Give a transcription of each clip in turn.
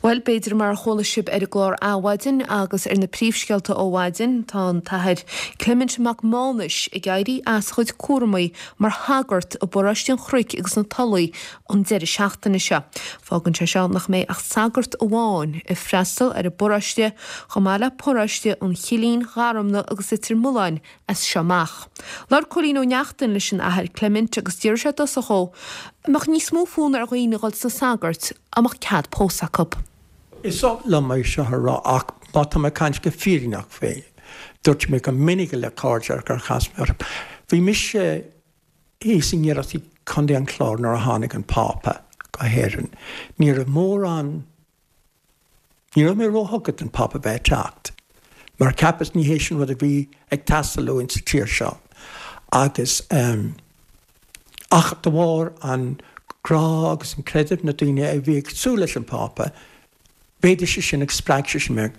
Bhuel, b'fhéidir mar a chuala sibh ar an gclár Adhmhaidin agus ar na príomhscéalta ó mhaidin, tá an tAthair Clement Mac Mánais ag éirí as a chuid cúramaí mar shagart i bParóiste an Chnoic agus na Tulaí an deireadh seachtaine seo. Fágann sé seo nach mbeidh ach sagart amháin ag freastal ar an bparóiste, chomh maith le paróiste an Chillín, Gharmna agus Leitir Mealláin as seo amach. Labhair Cóilín Ó Neachtain leis an Athair Clement agus d'fhiafraigh sé i dtosach dhó an mbeadh níos mó fonn ar dhaoine dhul sna sagairt dá mbeadh cead pósadh acu. Is oth liom é seo a rá ach má tá mé ag caint go fírinneach faoi, dúirt mé go minic le cairde gur chas mé orthu, bhí mise thíos i nGiorracht i gContae an Chláir nuair a tháinig an Pápa go hÉirinn. Ní raibh mórán Ní raibh mé róthugtha don Phápa bheith ag teacht, mar cheapas ní hé sin rud a bhí ag teastáil uainn sa tír seo. Agus ehm ach de bharr an grá agus an creideamh na daoine a bhí ag súil leis an Phápa, mhéadaigh sé sin agus spreag sé sin mé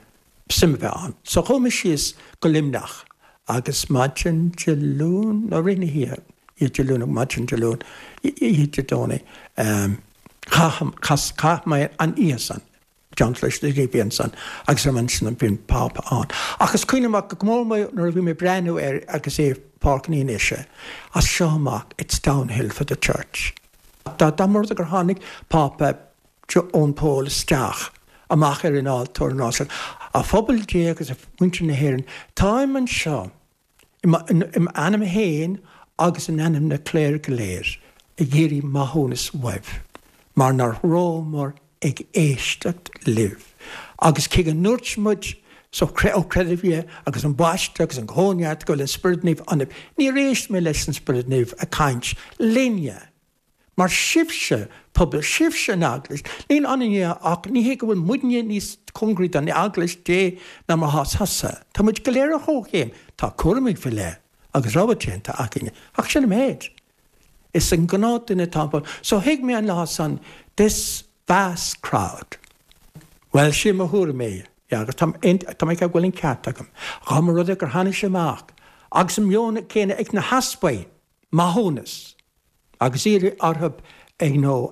suim a bheith ann. So chuaigh mé síos go Luimneach agus maidin Dé Luain, nó rith na hoíche, oíche Dé Luain nó maidin Dé Luain, oíche Dé Domhnaigh, ehm, Chaith mé an oíche san i dteannta leis na daoine a bhí ansan agus ar ansin bhí an Pápa ann. Ach is cuimhin liom go mór mór nuair a bhí mé ag breathnú air agus é i Páirc an Fhianaise, as seo amach it's downhill for the church. Dá mba rud é gur tháinig Pápa Eoin Pól isteach amach ar an altóir an lá san, a phobal Dé agus a mhuintir na hÉireann, táim anseo I m'ainm féin agus in ainm na cléir go léir, ag iarraidh maithiúnas uaibh, mar nach rabhamar ag éisteacht libh. Agus cé go ndúirt muid ó chreideamh agus an baisteadh agus an cóineart go bhfuil an Spiorad Naomh ionaibh, níor éist muid leis an Spiorad Naomh ag caint linne. Mar sibhse, pobal, sibhse an Eaglais, níl ionainne ach ní hé go bhfuil muidne níos cóngaraí don Eaglais Dé ná mar atá tusa. Tá muid go léir ar chomhchéim, tá cúraimí faoi leith agus rogha déanta againne, ach sin an méid. Is an gnáthduine atá ann. So thuig mé an lá san, this vast crowd. Bhuel, sin mo thuairim é, yeah, agus tá mé ag ceapadh go bhfuil an ceart agam. Dá mba rud é gur tháinig sé amach agus an meon céanna ag na heaspaig, maithiúnas agus iarraidh orthu you know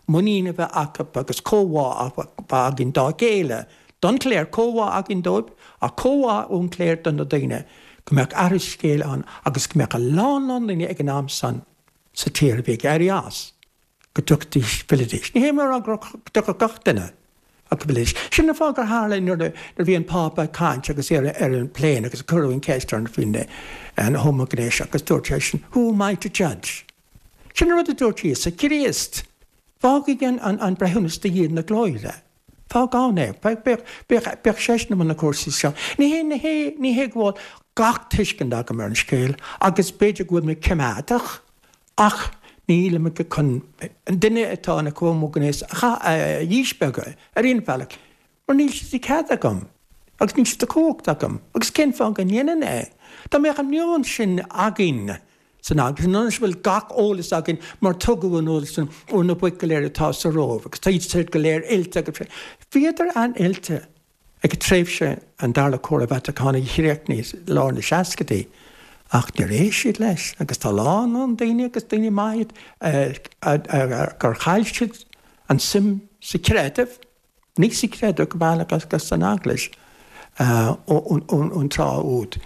muinín a bheith acu agus comhbhá a bheith againn dá chéile, don chléir, comhbhá againn dóibh ach comhbhá ón chléir do na daoine, go mbeadh athrú scéil ann agus go mbeadh a lán lán daoine ag an am san sa tír a bhí ag éirí as. go dtiocfaidís, fillidís. Ní hé mé a rá go dtiocfadh gach duine ach go bhfillidís. Sin an fáth gur tharla nuair a bhí an Pápa ag caint agus é ar an bplane agus cuireadh an cheist air faoin an homaighnéas agus dúirt seisean, Who am I to judge? Sin an rud a dúirt Íosa Críost. Fágfaidh an breithiúnas do Dhia na glóire. Fág ann é. Bíodh seisean i mbun na cúrsaí seo. Ní hé, ní hé, ní hé go bhfuil gach tuiscint agam ar an scéal agus b'fhéidir go bhfuil mé coimeádach Ach nílim chun an duine atá ina homaighnéasach a dhíspeagadh ar aon bhealach, mar níl sé de chead agam agus níl sé de chumhacht agam. Agus cén fáth go ndéanfainn é? Dá mbeadh an meon sin againn san Eaglais, ionas go bhfuil gach eolas againn mar tugadh an eolas sin ó na boic go léir atá sa Róimh agus tá siad go léir oilte agus bhíodar an-oilte. Ag tréimhse an Dara Comhráidh Vatacánaigh a chríochnaigh i lár na seascaidí, ach níor éist siad leis agus tá a lán lán daoine agus daoine maithe iad gur chaill siad an suim sa chreideamh, ní sa chreideamh go bealach agus san Eaglais ón tráth úd.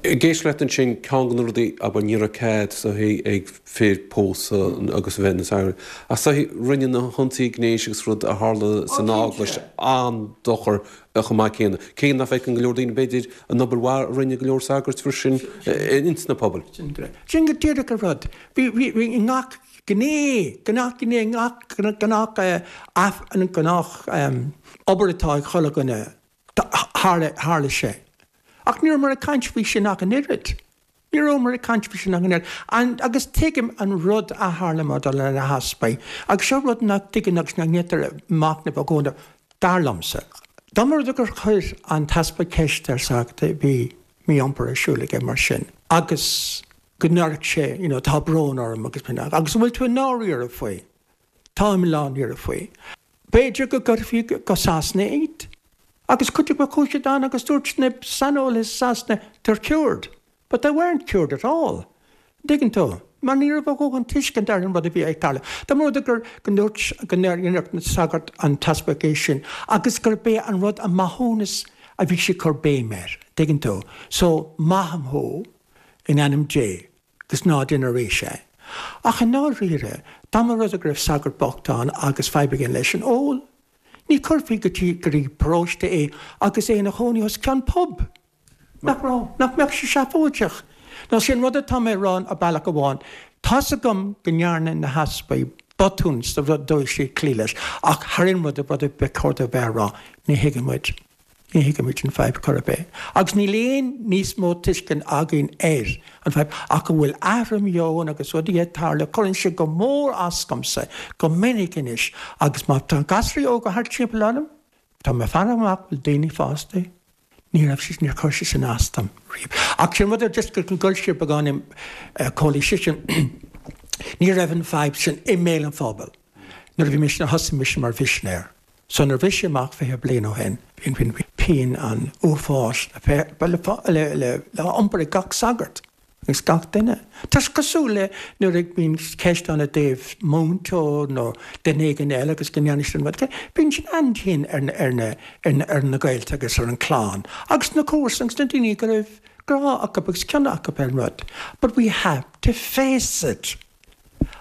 Ag éisteacht leat ansin, ceann de na rudaí, abair, ní raibh cead is dóichí ag fir pósadh agus a bheith ina sagairt. Ach is dóichí, rinne na hionsaithe gnéis agus rud a tharla san Eaglais an-dochar chomh maith céanna. Cé nach bhfeiceann go leor daoine, b'fhéidir, an obair mhaith a rinne go leor sagairt freisin ins na pobail. Sin go díreach an rud. Bhí, bhí, bhí i ngach gné, gach gné, ngach, gnách, gnách obair atá ag chuile dhuine. Tharla, tharla sé. Ach ní rabhamar ag caint faoi sin ach an oiread. Ní rabhamar ag caint faoi sin ach an oiread. And, agus tuigim an rud a tharla maidir le na heaspaig. Agus seo rud nach dtuigeann agus nach ndéantar machnamh i gcónaí, dar liomsa. Dá mba rud é gur chuir an t-easpag ceist ar sagart a bhí mí-iompar ar siúl aige mar sin, agus go ndéarfadh sé, you know, tá brón orm agus, agus an bhfuil tú i ndáiríre faoi? Táim i ndáiríre faoi. B'fhéidir go gcuirfí go Sasana iad. Agus cuid acu chuaigh siad ann agus dúirt na saineolaithe i Sasana, they're cured. But they weren't cured at all. An dtuigeann tú? Mar ní raibh a dhóthain tuiscint ar an rud a bhí ag tarlú. Dá mba rud é gur, go ndúirt, go ndéarfadh an sagart, an t-easpag é sin agus gurb é an rud, an maithiúnas a bhí sé ag cur béim air, tuigeann tú. So, maithim thú in ainm Dé agus ná déan arís é. Ach i ndáiríre, dá mba rud é go raibh sagart bocht ann agus fadhb aige leis an ól, ní chuirfí go dtí, go dtí paróiste é agus é ina chónaí os cionn pub. Nach raibh? Nach mbeadh sé seafóideach? Nó sé an rud atá mé a rá ar bealach amháin, tá's agam go ndearna na heaspaig botún sa dóigh siad cloí leis, ach thar aon rud, rud a ba chóir dóibh bheith a rá, ní thuigeann muid, ní thuigeann muid an fadhb chor ar bith. Agus níl aon níos mó tuiscint againn ar an fadhb ach go bhfuil athrú meoin agus rudaí ag tarlú, cuireann sé go mór as domsa go minic anois agus má tá gasraí óga thart timpeall orm, tá mé ag faire amach bhfuil daoine fásta, Ní raibh sé, níor chuir sé sin as dom riamh. Ach sin rud ar just go ghoill sé beagáinín Cóilí seisean, ní raibh an fadhb sin i mbéal an phobail nuair a bhí mise, thosaigh mise mar mhisinéir. So nuair a bhris sé amach 20 bliain ó shin, bhí pian an uafáis le le le iompar ag gach sagart. Agus gach duine. Tá sé cosúil le nuair a bhíonn ceist ann i dtaobh múinteoir nó duine éigin eile agus go ndéanann siad an rud céanna. Bíonn sin an-dian ar na, ar na, ar na, ar na gaolta agus ar an chlann agus na comharsana agus na daoine go raibh grá acu agus cion acu ar an rud. But we have to face it.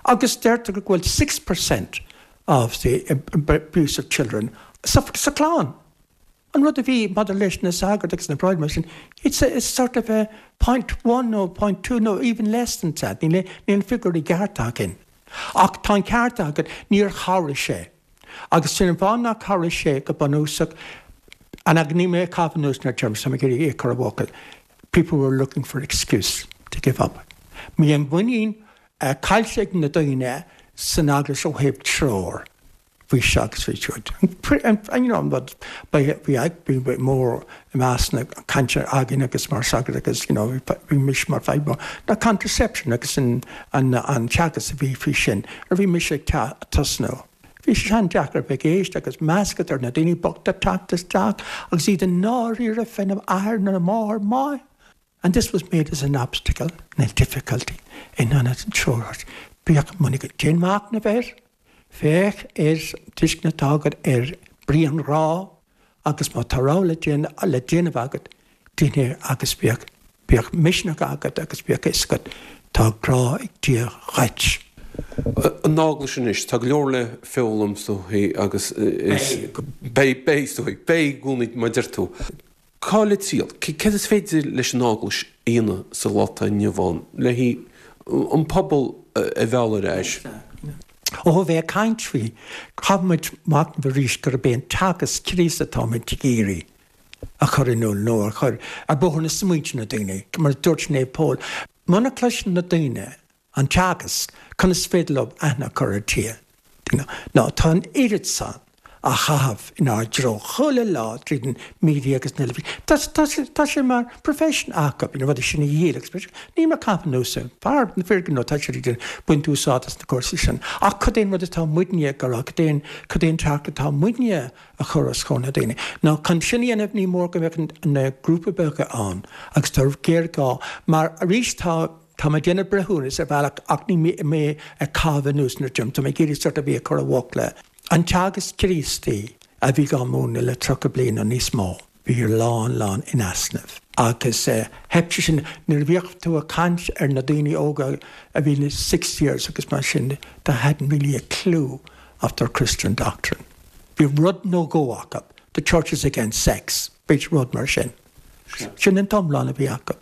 Agus deirtear go bhfuil 6% of the abuse of children sa, sa chlann. An rud a bhí maidir leis na sagairt agus na bráithre mar sin, it's a sort of a point one nó point two nó even less than that, níl an figiúr i gceart againn. Ach tá an ceart agat, níor chabhraigh sé. Agus sin an fáth nár chabhraigh sé go bunúsach, and níl mé ag caitheamh anuas na terms, tá mé ag iarraidh é a chur i bhfocail, people were looking for excuse to give up. Bhí an mhuinín caillte ag na daoine san eaglais ó thaobh treoir. Bhí seo agus bhí siúd. You know, an rud, bhí bhí mór i measc na cainte againn agus mar sagart agus you know, bhí mise mar fadhb mór ná contraception agus an an an teagasc a bhí faoi sin. Nuair a bhí mise ag tosnú, bhí sé an-deacair bheith ag éisteacht agus meas agat ar na daoine bochta teacht isteach agus iad i ndáiríre féna athair nó a máthair maith. And this was made as an obstacle and a difficulty in ionad an treoir. Bíodh muinín agat. Déan machnamh air. Féach ar an tuiscint atá agat ar brí an ghrá agus má tá rogha le déanamh le déanamh agat, déan é agus bíodh bíodh misneach agat agus bíodh fhios agat tá grá ag Dia dhuit. An Eaglais anois, tá go leor le foghlaim is dóichí agus is beidh beidh is dóichí, beidh i gcónaí mar a deir tú. Cá le triall? Céard is féidir leis an Eaglais a dhéanamh sa lá atá inniu ann le an pobal a mhealladh ar ais? Ó a bheith ag caint faoi, caithfidh muid machnamh arís gurb é an teagasc Críostaí atáimid ag iarraidh a chur in iúl nó a chur ar bóthar na smaointe na daoine. Mar a dúirt Naomh Pól, muna gcloiseann na daoine an teagasc, conas is féidir leo aithne a chur ar Dhia? Nó tá an oiread san á chaitheamh inár dtreo chuile lá tríd an media agus an teilifís. Tá, tá, tá sé mar profession acu, na rudaí sin a dhíol agus mar sin. Níl mé ag caitheamh anuas ar fear na fir gnó, tá siad ag baint úsáid as na cúrsaí sin. Ach cad é an rud atá muidne ag rá, cad é an, cad é an teachtaireacht atá muidne a chur os comhair na daoine? Nó chun sin a dhéanamh ní mór go mbeadh na grúpaí beaga ann agus tá géarghá mar arís tá, Tá mé ag déanamh breithiúnas ar bhealach ach níl mé ag caitheamh anuas na dTim. Tá mé ag iarraidh sort of é a chur i bhfocla. An teagasc Críostaí a bhí á múineadh le 30 bliain nó níos mó, bhí lán lán in easnamh. Agus theip sé sin nuair a bhíodh tú ag caint ar na daoine óga a bhí na sixth years agus mar sin, they hadn't really a clue of their Christian doctrine. Bhí rud nó dhó acu, the church is against sex, b'fhéidir rud mar sin. Sin an t-iomlán a bhí acu.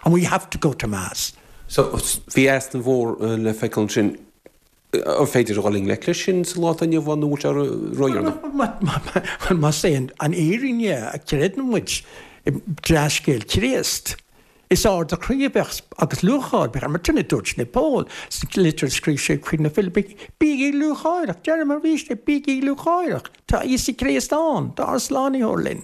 And we have to go to mass. So, bhí easnamh mhór le feiceáil ansin. An féidir a dhul i ngleic leis sin sa lá atá inniu ann nó bhfuil sé ródheireanach? Bhuel, más é an fhírinne a chreideann muid i dea-scéal Chríost, is ardú croí a bheadh agus lúcháir bheadh mar sin a dúirt Naomh Pól sa litir a scríobh sé chuig na Filipigh, Bígí lúcháireach! Deirim arís é, bígí lúcháireach! Tá Íosa Críost ann, tá ár Slánaitheoir linn.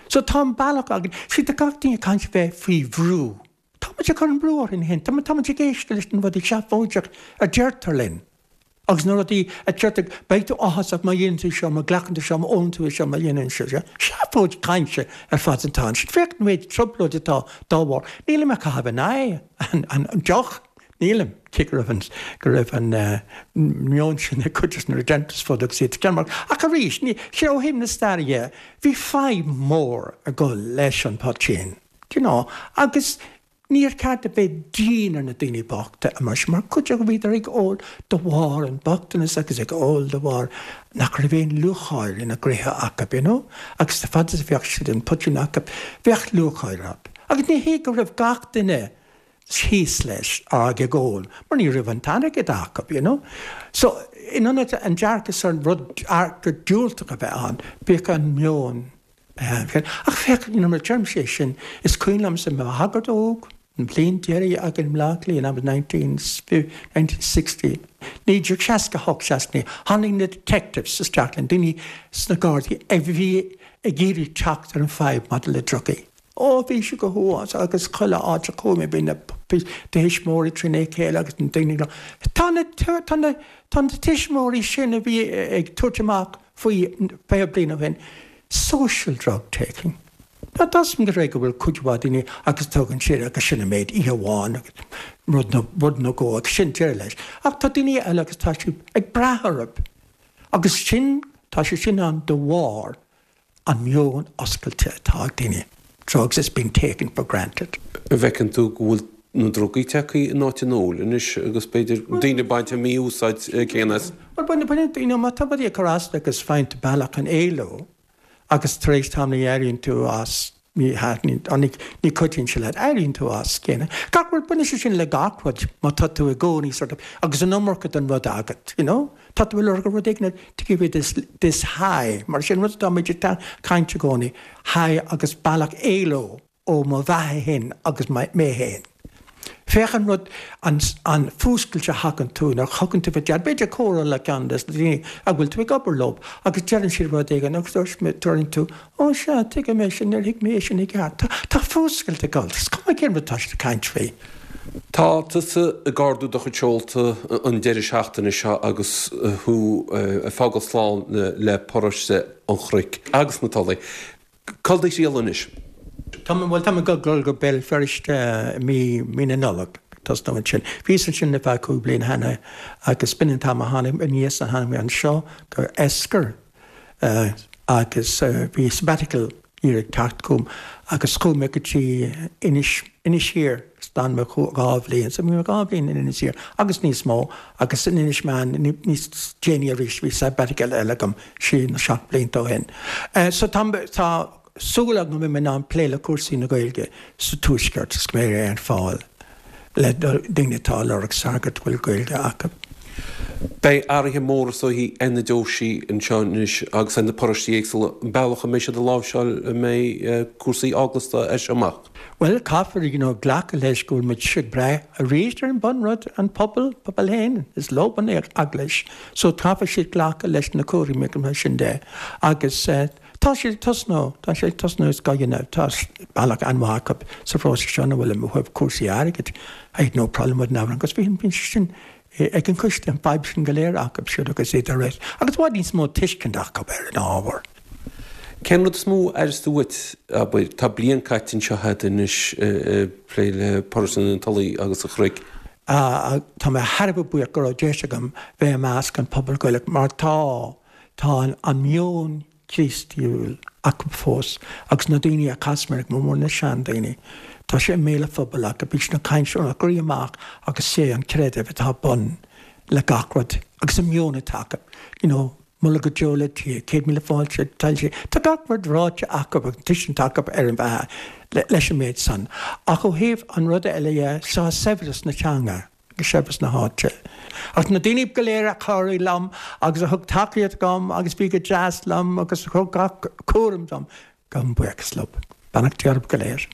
So tá an bealach againn. See, tá gach duine ag caint a bheith faoi bhrú. Tá muid ag cur an brú orainn féin. Tá muid ag éisteacht leis na rudaí seafóideach a deirtear linn. Agus na rudaí a deirtear, beidh tú áthasach má dhéanann tú seo, má ghlacann tú seo, má ólann tú é seo, má dhéanann seo seo. Seafóid cainte ar fad atá ansin. Féach an méid trioblóid atá dá bharr. Nílim ag caitheamh in aghaidh an deoch. Nílim. Cé go raibh an, go raibh an meon sin ag cuid de na Redemptorists fud agus iad ag Ach arís, ní, sé ó thaobh na staire dhe, bhí fadhb mhór ag dul leis an poitín, do you know, agus níor cheart a bheith dian ar na daoine bochta mar sin, mar cuid acu bhíodar ag ól de bharr an bochtanas agus ag ól de bharr nach raibh aon lúcháir ina gcroíthe acu, you know, agus fad is a bheadh siad an poitín acu, bheadh lúcháir orthu. Agus ní hé go raibh gach duine thíos leis ag ól mar ní raibh an t-airgead acu, you know. So, in ionad an dearcadh san rud, dearcadh diúltach a bheith ann, bhíodh an meon ann. Ach féach, you know, mar deirimse é sin, is cuimhin liomsa mo shagart óg, an bhliain deiridh againn i mBleá Cliath, that was 1960, 1968, 69, tháinig na detectives isteach linn, daoine sna Gardaí a bhí ag iarraidh teacht ar an fadhb maidir le drugaí. Ó, bhí sé go huafásach agus chuile áit a chuaigh mé bhí na tuismitheoirí trína chéile agus na daoine ag Tá na, tá na, tá na tuismitheoirí sin a bhí ag tabhairt amach faoi 20 bliain ó shin, social drug taking. Tá a fhios agam go bhfuil cuid mhaith daoine agus tugann siad agus sin an méid oíche amháin agus rud nó, rud nó dhó agus sin deireadh leis. Ach tá daoine eile agus tá siad ag brath orthu agus sin, tá sé sin ann de bharr an meon oscailte atá ag daoine, drugs is being taken for granted. An bhfeiceann tú go bhfuil na drugaí tagtha in áit an óil anois agus b'fhéidir daoine ag baint an mí-úsáid céanna as? Bhuel, baineann, baineann, you know, má tá rudaí ag cur as duit agus faigheann tú bealach chun éaló agus tar éis tamaill éiríonn tú as, Ní thaitníonn, ní, ní chuidíonn sé leat, éiríonn tú as, céanna. Gach rud, baineann sé sin le gach rud, má tá tú i gcónaí sort of, agus an iomarca den rud agat, you know? Tá tú ag lorg rud éigin to give you this, this high, mar sin rud atá muid ag caint i gcónaí, high agus bealach éaló ó mo bheatha féin agus mé féin. Féach an rud, an, an fuascailt a thagann tú nuair a thugann tú faoi deara, b'fhéidir comhrá le ceann des na daoine a bhfuil tú ag obair leo agus deireann siad rud éigin agus deireann tú, ó sea, tuigim é sin, níor thuig mé é sin i gceart. Tá, tá fuascailt ag dul, is cuma cén rud atá siad ag caint faoi. Tá tusa ag ardú do chuid seolta an deireadh seachtaine seo agus thú ag fágáil slán le paróiste an Chnoic agus na Tulaí. Cá bhfuil do thriall anois? Tá mé, bhuel, tá mé ag dul go Béal Feirste i mí, mí na Nollag, tosnú ansin. Bhíos ansin le feadh 5 bliana cheana agus b'in an t-am a tháinig, aníos a tháinig mé anseo go Esker agus bhí sabbatical year ag teacht chugam agus chuaigh mé go dtí Inis, Inis Oírr agus d'fhan mé 2 bhliain. So bhí mé 2 bhliain in Inis Oírr agus níos mó agus in Inis Meáin níos déanaí arís bhí sabbatical eile agam. sé nó 7 blianta ó shin. So tá, tá súil agam go mbeidh mé in ann plé le cúrsaí na Gaeilge sa Tuaisceart is go mbeidh mé ar fáil le daoine atá ag lorg sagart a bhfuil Gaeilge acu. Beidh athruithe móra is dóichí ar na deoisí anseo anois agus ar na paróistí éagsúla, an bealach a mbeidh siad ag láimhseáil an mbeidh cúrsaí eaglasta as seo amach. Bhuel, caithfear, you know, glacadh leis go bhfuil muid ag brath arís ar an bunrud, an pobal, pobal féin, is leo an eaglais. So caithfidh siad glacadh leis na cúraimí agus mar sin de. Agus eh, tá siad ag tosnú, tá siad ag tosnú is gá dhéanamh, tá bealach an-mhaith acu sa phróiseas seo ina bhfuil ó thaobh cúrsaí airgid. I had no problem with now agus bhí an sin ag an choiste, an fadhb sin go léir acu siúd agus iad ar agus i bhfad níos mó tuiscint acu ar an ábhar. Cén rud is mó a aireos tú uait, abair, tá bliain caite anseo agat anois ag plé le paróiste na Tulaí agus an Chnoic. Tá mé thar a bheith buíoch go raibh deis agam bheith i measc an pobal Gaelach mar tá, tá an meon Críostaíúil acu fós agus na daoine a chas mé go mór mór na seandaoine, tá sé i mbéal an phobail acu, bíonn siad ag caint óna gcroí amach agus sé an creideamh atá bun le gach rud agus an meon atá acu, you know. Moladh go deo le Dia, 100,000 fáilte, toillte, tá gach rud ráite acu agus tuiscint acu ar an bheatha leis an méid san. Ach ó thaobh an ruda eile dhe, tá saibhreas na teanga agus saibhreas na háite. Ach na daoine go léir a chabhraigh liom agus a thug tacaíocht dom agus bhí go deas liom agus a thug gach cúram dom, gabhaim buíochas leo. Beannacht Dé oraibh go léir.